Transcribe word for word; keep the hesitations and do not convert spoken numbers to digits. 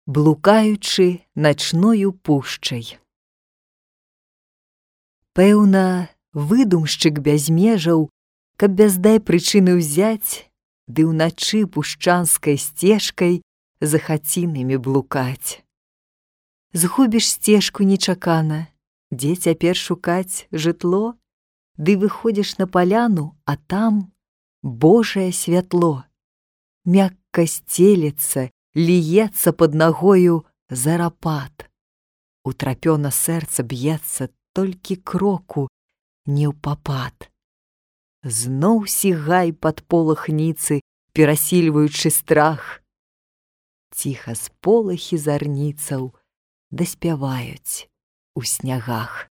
блукаючы начною пушчай. Пэўна, выдумшчык без межаў, каб без дай прычыны ўзяць, ды ўначы пушчанскай сцежкай за хацінамі блукаць. Згубіш сцежку нечакана, дзе цяпер шукаць жытло, ды выходзіш на паляну, а там Божае святло. Мякка сцелецца, ліецца пад нагою зарапат. Утрапёна сэрца б'ецца, толькі кроку не ў папад. Зноў сігай пад полахніцы, перасільваючы страх. Ціха сполахі зарніцаў даспяваюць у снягах.